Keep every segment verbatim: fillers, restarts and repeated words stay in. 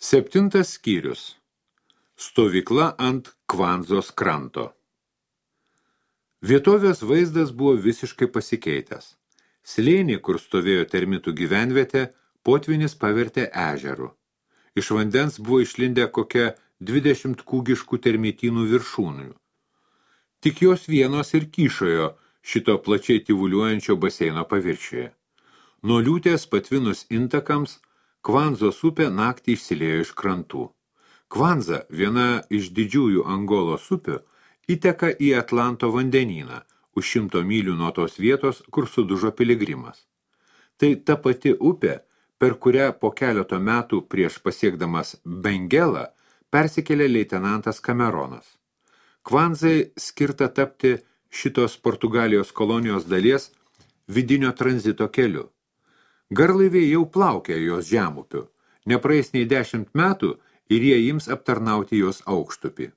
Septintas skyrius. Stovykla ant Kvanzos kranto. Vietovės vaizdas buvo visiškai pasikeitęs. Slėnį, kur stovėjo termitų gyvenvietė, potvynis pavertė ežeru. Iš vandens buvo išlindę kokia dvidešimt kūgiškų termitynų viršūnių. Tik jos vienos ir kyšojo šito plačiai tyvuliuojančio baseino paviršiuje. Nuo liūtės patvinus intakams, Kvanzos upė naktį išsiliejo iš krantų. Kvanza, viena iš didžiųjų Angolos upių, įteka į Atlanto vandenyną, už šimto mylių nuo tos vietos, kur sudužo piligrimas. Tai ta pati upė, per kurią po keleto metų prieš pasiekdamas Bengelą persikėlė leitenantas Kameronas. Kvanzai skirta tapti šitos Portugalijos kolonijos dalies vidinio tranzito keliu. Garlaiviai jau plaukia jos žemupiu, nepraeis nei dešimt metų ir jie ims aptarnauti jos aukštupį.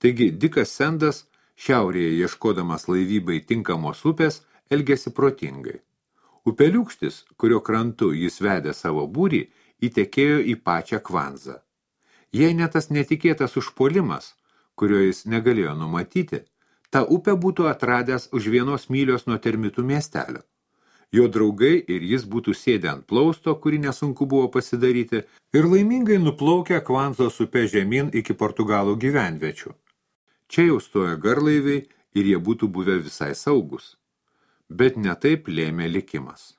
Taigi Dikas Sendas, šiaurėje ieškodamas laivybai tinkamos upės, elgėsi protingai. Upeliūkštis, kurio krantu jis vedė savo būrį, įtekėjo į pačią Kvanzą. Jei ne tas netikėtas užpuolimas, kurio jis negalėjo numatyti, tą upę būtų atradęs už vienos mylios nuo termitų miestelio. Jo draugai ir jis būtų sėdę ant plausto, kurį nesunku buvo pasidaryti, ir laimingai nuplaukę Kvanzos upę žemyn iki Portugalų gyvenviečių. Čia jau stoja garlaiviai ir jie būtų buvę visai saugus. Bet ne taip lėmė likimas.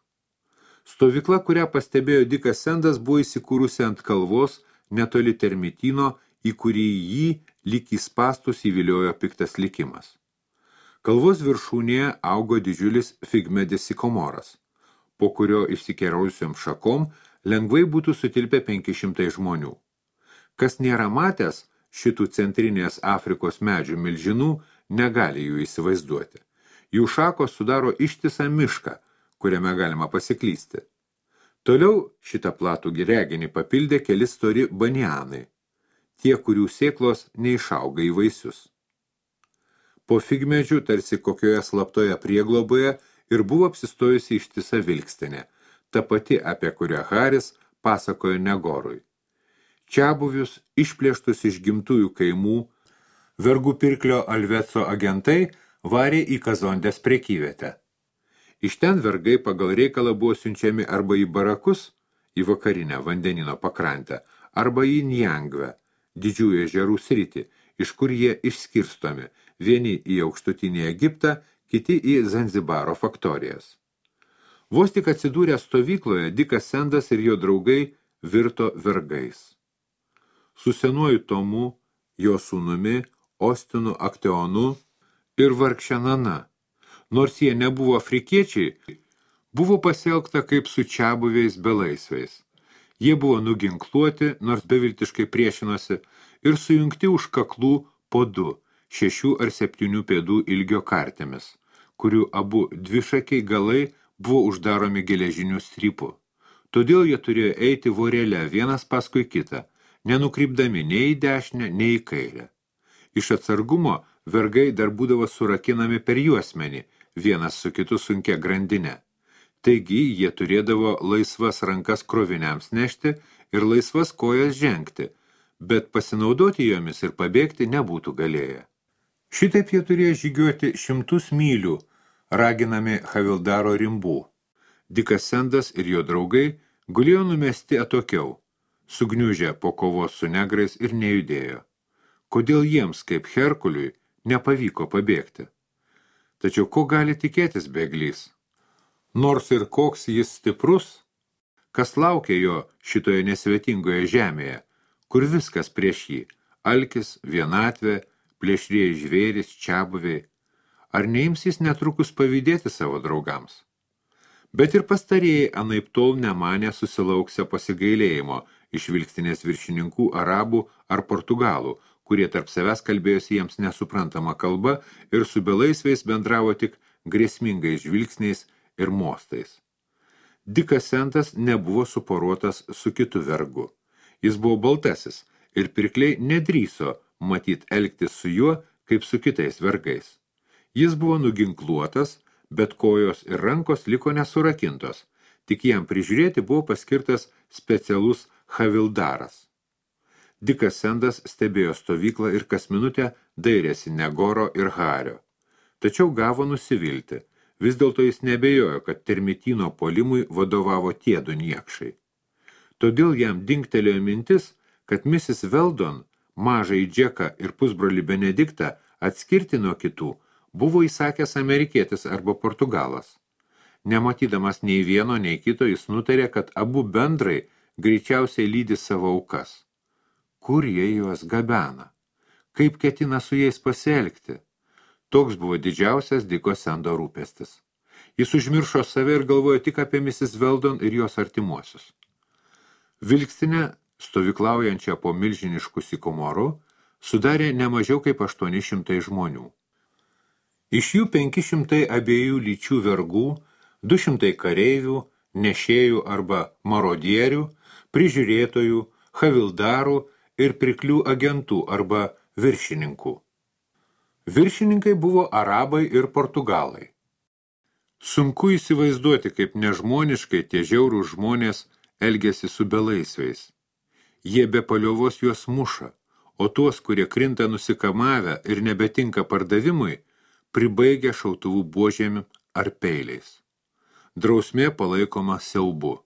Stovykla, kurią pastebėjo Dikas Sendas, buvo įsikūrusi ant kalvos netoli termityno, į kurį jį lyg į spastus įviliojo piktas likimas. Kalvos viršūnėje augo didžiulis figmedis sikomoras, po kurio išsikerausiom šakom lengvai būtų sutilpę penki šimtai žmonių. Kas nėra matęs šitų centrinės Afrikos medžių milžinų, negali jų įsivaizduoti. Jų šakos sudaro ištisą mišką, kuriame galima pasiklysti. Toliau šitą platų reginį papildė keli stori banianai, tie, kurių sėklos neišauga į vaisius. Po figmedžių, tarsi kokioje slaptoje priegloboje, ir buvo apsistojusi ištisa vilkstinė, ta pati, apie kurią Haris pasakojo Negorui. Čiabuvius, išplėštus iš gimtųjų kaimų, vergų pirklio Alveco agentai varė į Kazondės prekyvietę. Iš ten vergai pagal reikalą buvo siunčiami arba į barakus, į vakarinę vandenino pakrantę, arba į Njangvę, didžiųjų ežerų sritį, iš kur jie išskirstomi, vieni į aukštutinį Egiptą, kiti į Zanzibaro faktorijas. Vos tik atsidūrę stovykloje, Dikas Sendas ir jo draugai virto vergais. Su senuoju Tomu, jo sūnumi, Ostinu Akteonu ir vargšenana, nors jie nebuvo afrikiečiai, buvo pasielgta kaip su čiabuviais belaisviais. Jie buvo nuginkluoti, nors beviltiškai priešinosi, ir sujungti už kaklų po du, šešių ar septynių pėdų ilgio kartėmis, kurių abu dvišakiai galai buvo uždaromi geležiniu strypu. Todėl jie turėjo eiti vorele vienas paskui kitą, nenukrypdami nei į dešinę, nei į kairę. Iš atsargumo vergai dar būdavo surakinami per juosmenį, vienas su kitu sunkia grandinė. Taigi jie turėdavo laisvas rankas kroviniams nešti ir laisvas kojas žengti, bet pasinaudoti jomis ir pabėgti nebūtų galėję. Šitaip jie turėjo žygiuoti šimtus mylių, raginami Havildaro rimbų. Dikas Sendas ir jo draugai gulėjo numesti atokiau, sugniužę po kovos su negrais ir nejudėjo. Kodėl jiems, kaip Herkuliui, nepavyko pabėgti? Tačiau ko gali tikėtis bėglys? Nors ir koks jis stiprus, kas laukia jo šitoje nesvetingoje žemėje, kur viskas prieš jį, alkis, vienatvė, plėšrieji žvėris, čiabuviai, ar neims jis netrukus pavydėti savo draugams? Bet ir pastarėjai anaip tol nemanė susilauksę pasigailėjimo iš vilkstinės viršininkų arabų ar portugalų, kurie tarp savęs kalbėjosi jiems nesuprantama kalba ir su belaisviais bendravo tik grėsmingais žvilgsniais ir mostais. Dikas Sendas nebuvo suporuotas su kitu vergu. Jis buvo baltasis ir pirkliai nedrįso matyt elgtis su juo kaip su kitais vergais. Jis buvo nuginkluotas, bet kojos ir rankos liko nesurakintos, tik jam prižiūrėti buvo paskirtas specialus Havildaras. Dikas Sendas stebėjo stovyklą ir kas minutę dairėsi Negoro ir Hario. Tačiau gavo nusivilti. Vis dėlto jis nebejojo, kad termitino puolimui vadovavo tie du niekšai. Todėl jam dingtelėjo mintis, kad misis Weldon, mažąjį Džeką ir pusbrolį Benediktą atskirti nuo kitų, buvo įsakęs amerikietis arba portugalas. Nematydamas nei vieno, nei kito, jis nutarė, kad abu bendrai greičiausiai lydi savo aukas. Kur jie juos gabena? Kaip ketina su jais pasielgti? Toks buvo didžiausias Diko Sendo rūpestis. Jis užmiršo save ir galvojo tik apie misis Weldon ir jos artimuosius. Vilkstinę, stovyklaujančią po milžiniškų sykomorų, sudarė ne mažiau kaip aštuoni šimtai žmonių. Iš jų penki šimtai abiejų lyčių vergų, du šimtai kareivių, nešėjų arba marodierių, prižiūrėtojų, havildarų ir priklių agentų arba viršininkų. Viršininkai buvo arabai ir portugalai. Sunku įsivaizduoti, kaip nežmoniškai tie žiaurūs žmonės elgiasi su belaisviais. Jie be paliovos juos muša, o tuos, kurie krinta nusikamavę ir nebetinka pardavimui, pribaigia šautuvų buožėmi ar peiliais. Drausmė palaikoma siaubu.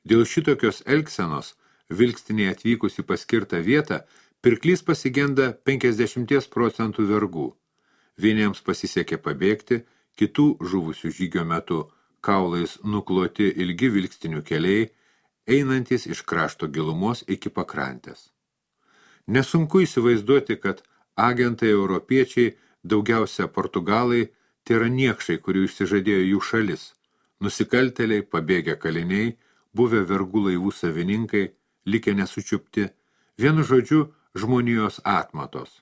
Dėl šitokios elgsenos, vilkstinėje atvykus į paskirtą vietą, pirklys pasigenda penkiasdešimt procentų vergų. Vieniems pasisekė pabėgti, kitų žuvusių žygio metu kaulais nukloti ilgi vilkstinių keliai, einantis iš krašto gilumos iki pakrantės. Nesunku įsivaizduoti, kad agentai europiečiai, daugiausia portugalai, tai yra niekšai, kurių išsižadėjo jų šalis, nusikaltėliai, pabėgę kaliniai, buvę vergų laivų savininkai, likę nesučiupti, vienu žodžiu žmonijos atmatos.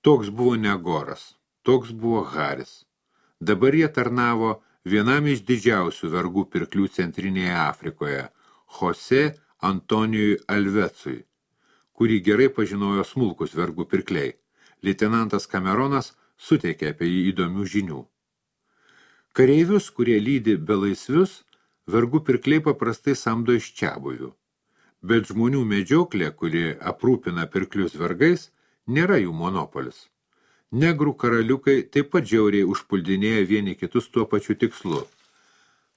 Toks buvo Negoras, toks buvo Haris. Dabar jie tarnavo vienam iš didžiausių vergų pirklių centrinėje Afrikoje, Jose Antonijui Alvecui, kurį gerai pažinojo smulkus vergų pirkliai. Leitenantas Cameronas suteikė apie jį įdomių žinių. Kareivius, kurie lydi belaisvius, vergų pirkliai paprastai samdo iš čiabuvių. Bet žmonių medžioklė, kuri aprūpina pirklius vergais, nėra jų monopolis. Negrų karaliukai taip pat žiauriai užpuldinėja vieni kitus tuo pačiu tikslu.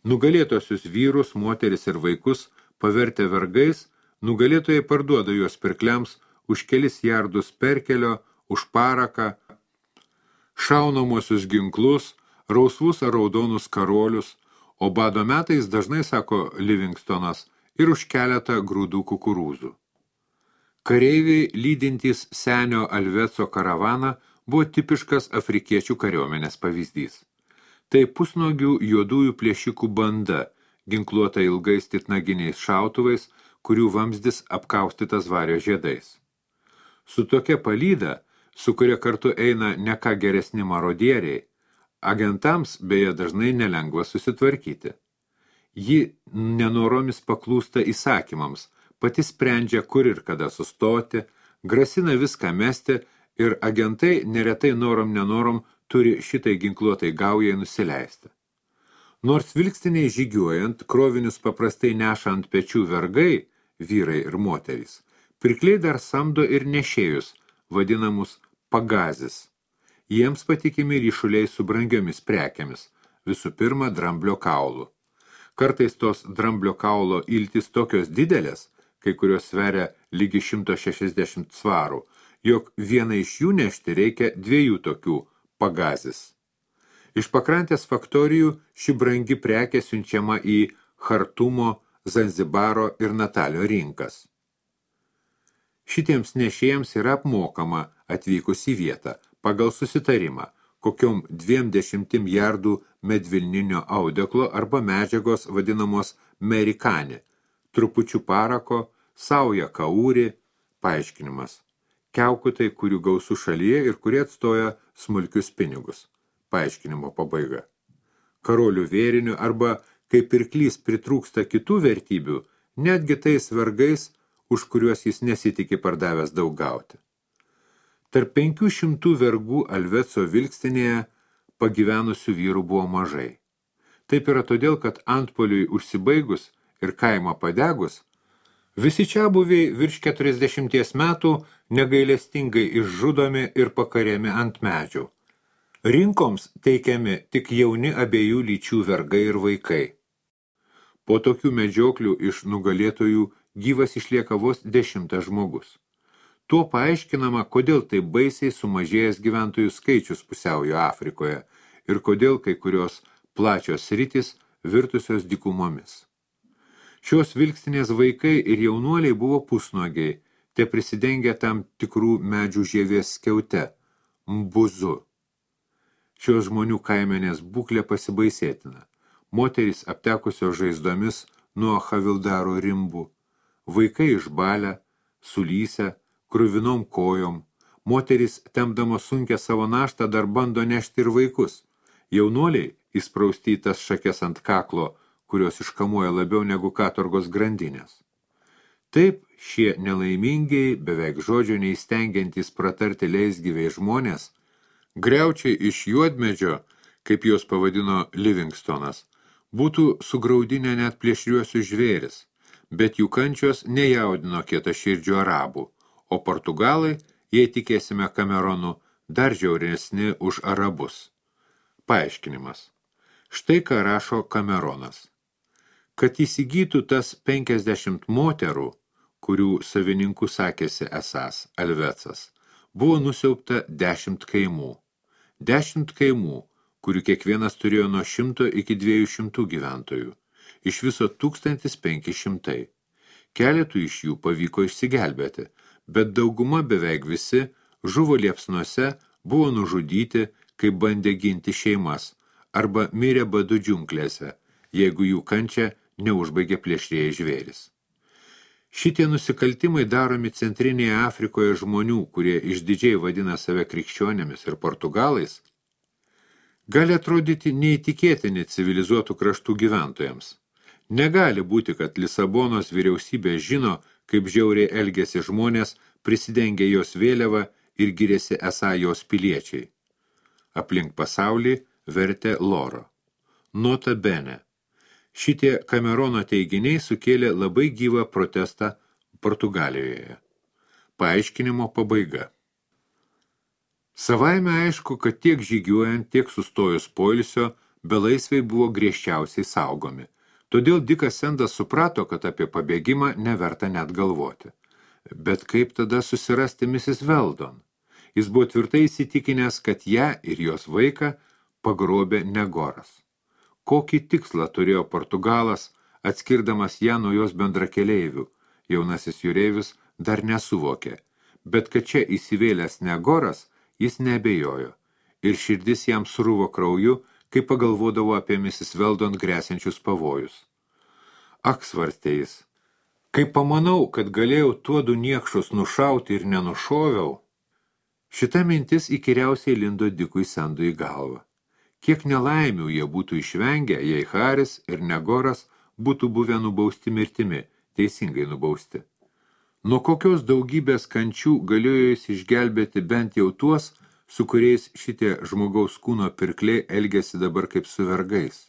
Nugalėtosius vyrus, moteris ir vaikus pavertę vergais, nugalėtojai parduoda juos pirkliams už kelis jardus perkelio, už paraką, šaunamosius ginklus, rausvus ar raudonus karolius, o bado metais dažnai, sako Livingstonas, ir už keletą grūdų kukurūzų. Kareiviai, lydintys senio Alveco karavaną, buvo tipiškas afrikiečių kariuomenės pavyzdys. Tai pusnuogių juodųjų plėšikų banda, ginkluota ilgais titnaginiais šautuvais, kurių vamzdis apkaustytas vario žiedais. Su tokia palyda, su kuria kartu eina ne ką geresni marodieriai, agentams beje dažnai nelengva susitvarkyti. Ji nenoromis paklūsta įsakymams, pati sprendžia, kur ir kada sustoti, grasina viską mesti ir agentai neretai norom nenorom turi šitai ginkluotai gaujai nusileisti. Nors vilkstiniai žygiuojant, krovinius paprastai neša ant pečių vergai, vyrai ir moterys, pirkliai dar samdo ir nešėjus, vadinamus pagazis. Jiems patikimi ryšuliai su brangiomis prekiamis, visų pirma dramblio kaulų. Kartais tos dramblio kaulo iltis tokios didelės, kai kurios sveria lygi šimto šešiasdešimt svarų, jog vieną iš jų nešti reikia dviejų tokių pagazis. Iš pakrantės faktorijų ši brangi prekė siunčiama į Chartumo, Zanzibaro ir Natalio rinkas. Šitiems nešėjams yra apmokama atvykus į vietą pagal susitarimą, kokiom dviem dešimtim jardų medvilninio audeklo arba medžiagos vadinamos merikani, trupučių parako, sauja kaūri, paaiškinimas. Kiaukutai, kurių gausų šalyje ir kurie atstoja smulkius pinigus. Paaiškinimo pabaiga. Karolių vėrinių arba, kai pirklys pritrūksta kitų vertybių, netgi tais vergais, už kuriuos jis nesitikė pardavęs daug gauti. Tarp penkių šimtų vergų Alveco vilkstinėje pagyvenusių vyrų buvo mažai. Taip yra todėl, kad antpoliui užsibaigus ir kaimą padegus, Visi čiabuviai virš keturiasdešimties metų negailestingai išžudomi ir pakariami ant medžių. Rinkoms teikiami tik jauni abiejų lyčių vergai ir vaikai. Po tokių medžioklių iš nugalėtojų gyvas išlieka vos dešimtas žmogus. Tuo paaiškinama, kodėl taip baisiai sumažėjęs gyventojų skaičius pusiaujo Afrikoje ir kodėl kai kurios plačios sritys virtusios dykumomis. Šios vilkstinės vaikai ir jaunuoliai buvo pusnuogiai, te prisidengę tam tikrų medžių žievės skiaute, mbuzu. Šios žmonių kaimenės būklė pasibaisėtina. Moterys aptekusios žaizdomis nuo havildaro rimbų, vaikai išbalę, sulysę, kruvinom kojom, moterys tempdamos sunkę savo naštą dar bando nešti ir vaikus. Jaunuoliai įsprausti į tas šakes ant kaklo, kurios iškamuoja labiau negu katorgos grandinės. Taip šie nelaimingiai, beveik žodžio neįstengiantys pratarti leisgyviai žmonės, griaučiai iš juodmedžio, kaip juos pavadino Livingstonas, būtų sugraudinę net plėšriuosius žvėris, bet jų kančios nejaudino kietaširdžių arabų, o portugalai, jei tikėsime Kameronu, dar žiauresni už arabus. Paaiškinimas. Štai ką rašo Kameronas. Kad įsigytų tas penkiasdešimt moterų, kurių savininkų sakėsi esas Alvecas, buvo nusiaubta dešimt kaimų. Dešimt kaimų, kurių kiekvienas turėjo nuo šimto iki dviejų šimtų gyventojų. Iš viso tūkstantis penki šimtai. Keletų iš jų pavyko išsigelbėti, bet dauguma beveik visi žuvo liepsnuose, buvo nužudyti, kai bandė ginti šeimas, arba mirė badu džiunglėse, jeigu jų kančią neužbaigė plėšrieji žvėris. Šitie nusikaltimai daromi centrinėje Afrikoje žmonių, kurie išdidžiai vadina save krikščionėmis ir portugalais, gali atrodyti neįtikėtini civilizuotų kraštų gyventojams. Negali būti, kad Lisabonos vyriausybė žino, kaip žiauriai elgėsi žmonės, prisidengė jos vėliavą ir giriasi esą jos piliečiai. Aplink pasaulį vertė Loro. Nota bene. Šitie Kamerono teiginiai sukėlė labai gyvą protestą Portugalijoje. Paaiškinimo pabaiga. Savaime aišku, kad tiek žygiuojant, tiek sustojus poilsio, belaisviai buvo griežčiausiai saugomi. Todėl Dikas Sendas suprato, kad apie pabėgimą neverta net galvoti. Bet kaip tada susirasti misis Weldon? Jis buvo tvirtai įsitikinęs, kad ją ir jos vaiką pagrobė Negoras. Kokį tikslą turėjo Portugalas, atskirdamas ją nuo jos bendrakeleivių, jaunasis jūreivis dar nesuvokė, bet kad čia įsivėlęs Negoras, jis neabejojo, ir širdis jam sruvo krauju, kai pagalvodavo apie misis Weldon gresiančius pavojus. Ak, svarstė jis, kai pamanau, kad galėjau tuodu niekšus nušauti ir nenušoviau, šita mintis įkyriausiai lindo Dikui Sendui į galvą. Kiek nelaimių jie būtų išvengę, jei Haris ir Negoras būtų buvę nubausti mirtimi, teisingai nubausti. Nuo kokios daugybės kančių galėjo jis išgelbėti bent jau tuos, su kuriais šitie žmogaus kūno pirkliai elgėsi dabar kaip su vergais.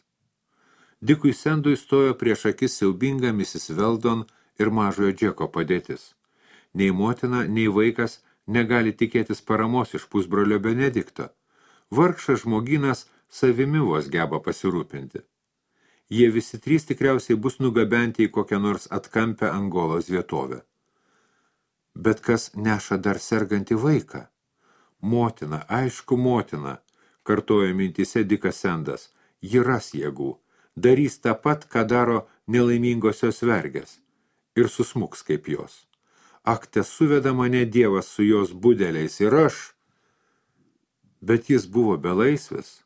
Dikui Sendui stojo prieš akis siaubinga misis Weldon ir mažojo Džeko padėtis. Nei motina, nei vaikas negali tikėtis paramos iš pusbrolio Benedikto. Vargšas žmoginas savimi vos geba pasirūpinti. Jie visi trys tikriausiai bus nugabenti į kokią nors atkampę Angolos vietovę. Bet kas neša dar sergantį vaiką? Motina, aišku motina, kartojo mintyse Dikas Sendas, ji ras jėgų, darys tą pat, ką daro nelaimingosios vergės, ir susmuks kaip jos. Ak, te suveda mane Dievas su jos budeliais ir aš. Bet jis buvo belaisvis.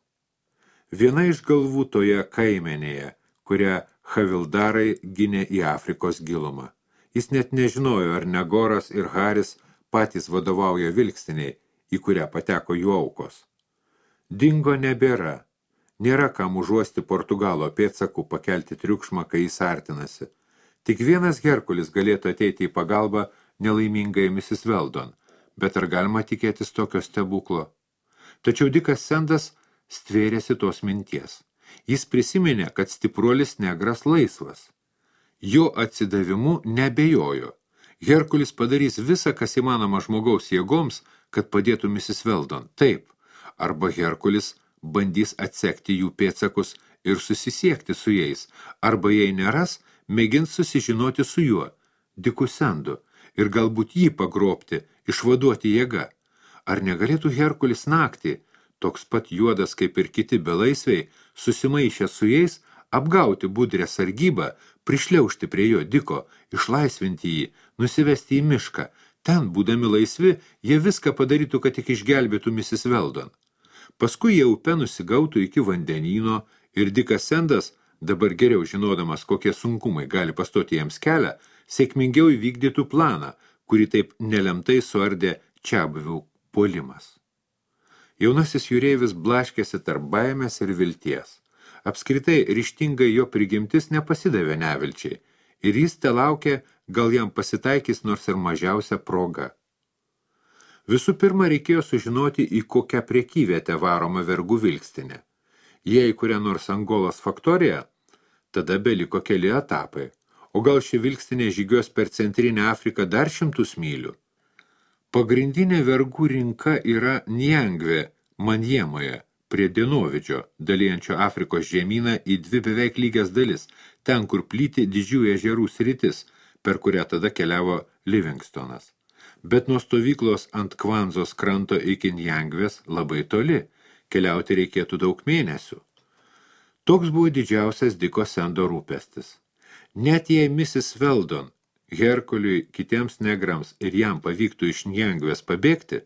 Viena iš galvų toje kaimenėje, kurią havildarai gynė į Afrikos gilumą. Jis net nežinojo, ar Negoras ir Haris patys vadovauja vilkstiniai, į kurią pateko jų aukos. Dingo nebėra. Nėra kam užuosti Portugalo pėdsakų pakelti triukšmą, kai jis artinasi. Tik vienas Herkulis galėtų ateiti į pagalbą nelaimingai misis Weldon, bet ar galima tikėtis tokio stebuklo? Tačiau Dikas Sendas stvėrėsi tos minties. Jis prisiminė, kad stipruolis negras laisvas. Jo atsidavimu nebejojo. Herkulis padarys visą, kas įmanoma žmogaus jėgoms, kad padėtų misis Weldon. Taip, arba Herkulis bandys atsekti jų pėdsakus ir susisiekti su jais, arba jei neras, mėgins susižinoti su juo, Diku Sendu, ir galbūt jį pagrobti, išvaduoti jėga. Ar negalėtų Herkulis naktį, toks pat juodas kaip ir kiti belaisviai, susimaišę su jais, apgauti budrę sargybą, prišliaužti prie jo Diko, išlaisvinti jį, nusivesti į mišką. Ten, būdami laisvi, jie viską padarytų, kad tik išgelbėtų misis Weldon. Paskui jie upe nusigautų iki vandenyno ir Dikas Sendas, dabar geriau žinodamas, kokie sunkumai gali pastoti jiems kelią, sėkmingiau įvykdytų planą, kurį taip nelemtai suardė čiabuvių puolimas. Jaunasis jūreivis blaškėsi tarp baimės ir vilties. Apskritai ryžtingai jo prigimtis nepasidavė nevilčiai ir jis telaukė, gal jam pasitaikys nors ir mažiausia proga. Visų pirma, reikėjo sužinoti, į kokią prekyvietę varoma vergų vilkstinė. Jei kuria nors Angolos faktorija, tada beliko keli etapai, o gal ši vilkstinė žygios per centrinę Afriką dar šimtus mylių. Pagrindinė vergų rinka yra Njangve, Manjemoje, prie Dienovidžio, dalijančio Afrikos žemyną į dvi beveik lygias dalis, ten, kur plyti didžiųjų ežerų sritis, per kurią tada keliavo Livingstonas. Bet nuo stovyklos ant Kvanzos kranto iki Njangvės labai toli, keliauti reikėtų daug mėnesių. Toks buvo didžiausias Diko Sendo rūpestis. Net jei misis Weldon, Herkuliui, kitiems negrams ir jam pavyktų iš Njangvės pabėgti,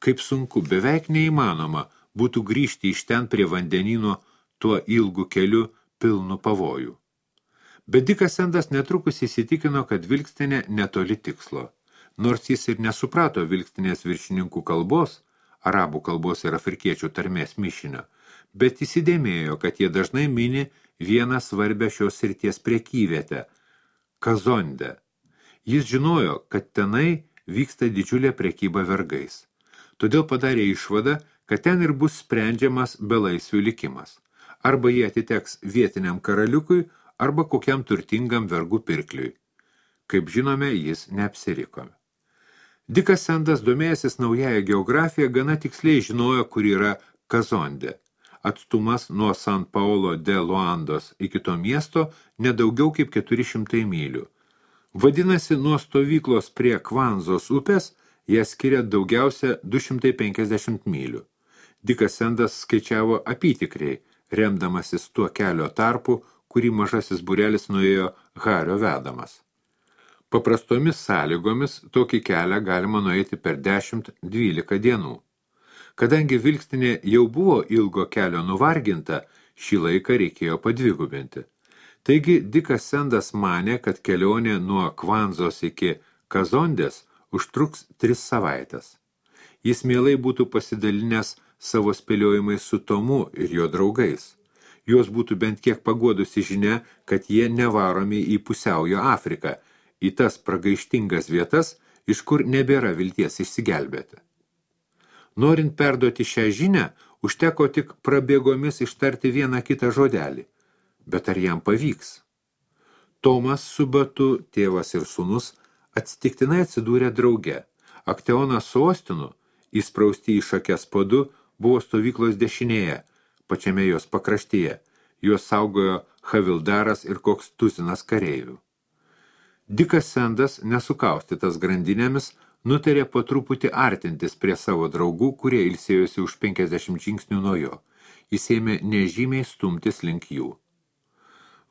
kaip sunku, beveik neįmanoma būtų grįžti iš ten prie vandenyno tuo ilgu keliu pilnu pavojų. Bet Dikas Sendas netrukus įsitikino, kad vilkstinė netoli tikslo. Nors jis ir nesuprato vilkstinės viršininkų kalbos, arabų kalbos ir afrikiečių tarmės mišinio, bet įsidėmėjo, kad jie dažnai mini vieną svarbę šios srities prekyvietę – Kazondę. Jis žinojo, kad tenai vyksta didžiulė prekyba vergais. Todėl padarė išvadą, kad ten ir bus sprendžiamas belaisvių likimas. Arba jie atiteks vietiniam karaliukui, arba kokiam turtingam vergų pirkliui. Kaip žinome, jis neapsiriko. Dikas Sendas, domėjęsis naująją geografiją, gana tiksliai žinojo, kur yra Kazondė. Atstumas nuo San Paulo de Luandos iki to miesto nedaugiau kaip keturi šimtai mylių. Vadinasi, nuo stovyklos prie Kvanzos upės jie skiria daugiausia du šimtai penkiasdešimt mylių. Dikas Sendas skaičiavo apytikriai, remdamasis tuo kelio tarpu, kurį mažasis būrelis nuėjo Hario vedamas. Paprastomis sąlygomis tokį kelią galima nueiti per dešimt dvylika dienų. Kadangi vilkstinė jau buvo ilgo kelio nuvarginta, šį laiką reikėjo padvigubinti. Taigi Dikas Sendas manė, kad kelionė nuo Kvanzos iki Kazondės užtruks tris savaites. Jis mielai būtų pasidalinęs savo spėliojimais su Tomu ir jo draugais. Juos būtų bent kiek paguodusi žinia, kad jie nevaromi į pusiaujo Afriką, į tas pragaištingas vietas, iš kur nebėra vilties išsigelbėti. Norint perduoti šią žinią, užteko tik prabėgomis ištarti vieną kitą žodelį. Bet ar jam pavyks? Tomas su Batu, tėvas ir sūnus, atsitiktinai atsidūrė drauge. Akteonas su Ostinu, įsprausti į šakes po du, buvo stovyklos dešinėje, pačiame jos pakraštyje. Juos saugojo Havildaras ir koks tuzinas kareivių. Dikas Sendas, nesukaustytas grandinėmis, nutarė po truputį artintis prie savo draugų, kurie ilsėjosi už penkiasdešimt žingsnių nuo jo. Jis ėmė nežymiai stumtis link jų.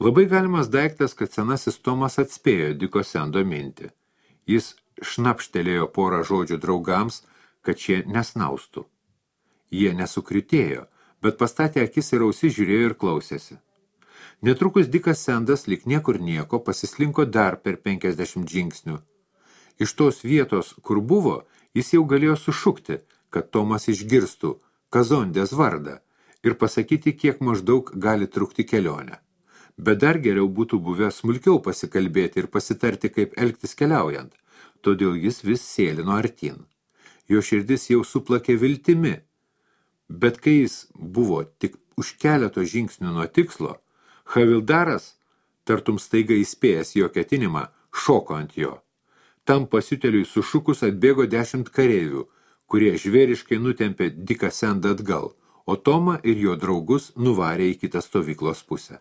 Labai galimas daiktas, kad senasis Tomas atspėjo Diko Sendo mintį. Jis šnapštelėjo porą žodžių draugams, kad šie nesnaustų. Jie nesukritėjo, bet pastatė akis ir ausis žiūrėjo ir klausėsi. Netrukus Dikas Sendas, lyg niekur nieko, pasislinko dar per penkiasdešimt žingsnių. Iš tos vietos, kur buvo, jis jau galėjo sušukti, kad Tomas išgirstų Kazondės vardą ir pasakyti, kiek maždaug gali trukti kelionę. Bet dar geriau būtų buvę smulkiau pasikalbėti ir pasitarti, kaip elgtis keliaujant, todėl jis vis sėlino artin. Jo širdis jau suplakė viltimi, bet kai jis buvo tik už keleto žingsnių nuo tikslo, Havildaras tartum staiga įspėjęs jo ketinimą, šoko ant jo. Tam pasiutėliui sušukus atbėgo dešimt kareivių, kurie žvėriškai nutempė Diką Sendą atgal, o Tomą ir jo draugus nuvarė į kitą stovyklos pusę.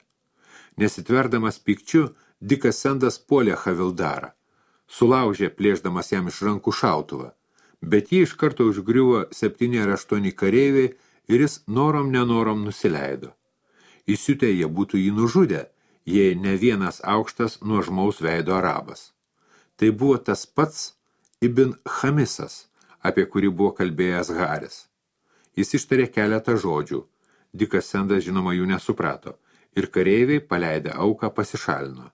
Nesitverdamas pykčiu, Dikas Sendas puolė Havildarą. Sulaužė, plėšdamas jam iš rankų šautuvą, bet jį iš karto užgriuvo septyni ar aštuoni kareiviai ir jis norom nenorom nusileido. Įsiutę jie būtų jį nužudę, jei ne vienas aukštas nuožmaus veido arabas. Tai buvo tas pats Ibn Chamisas, apie kurį buvo kalbėjęs Haris. Jis ištarė keletą žodžių, Dikas Sendas žinoma jų nesuprato, ir kareiviai, paleidę auką, pasišalino.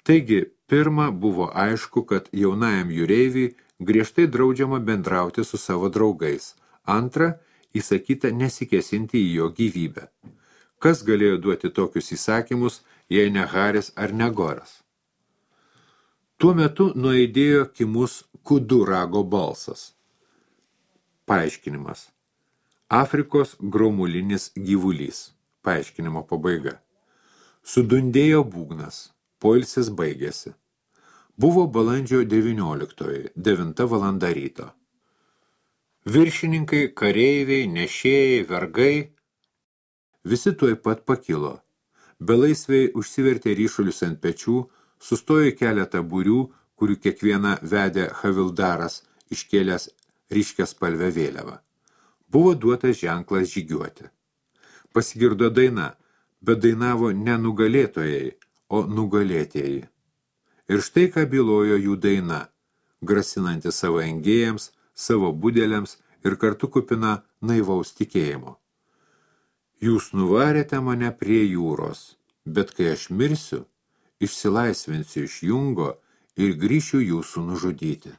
Taigi, pirma buvo aišku, kad jaunajam jūreiviui griežtai draudžiama bendrauti su savo draugais, antra, įsakyta nesikesinti į jo gyvybę. Kas galėjo duoti tokius įsakymus, jei ne Haris ar ne Goras? Tuo metu nuaidėjo kimus kudu rago balsas. Paaiškinimas. Afrikos gromulinis gyvulys. Paaiškinimo pabaiga. Sudundėjo būgnas. Poilsis baigėsi. Buvo balandžio devynioliktoji, devinta valanda ryto. Viršininkai, kareiviai, nešėjai, vergai visi tuoj pat pakilo. Belaisviai užsivertė ryšulius ant pečių, sustojo keletą būrių, kurių kiekviena vedė Havildaras, iškėlęs ryškiaspalvę vėliavą. Buvo duotas ženklas žygiuoti. Pasigirdo daina, bet dainavo ne nugalėtojai, o nugalėtieji. Ir štai ką bylojo jų daina, grasinanti savo engėjams, savo budeliams ir kartu kupina naivaus tikėjimo. Jūs nuvarėte mane prie jūros, bet kai aš mirsiu, išsilaisvinsiu iš jungo ir grįšiu jūsų nužudyti.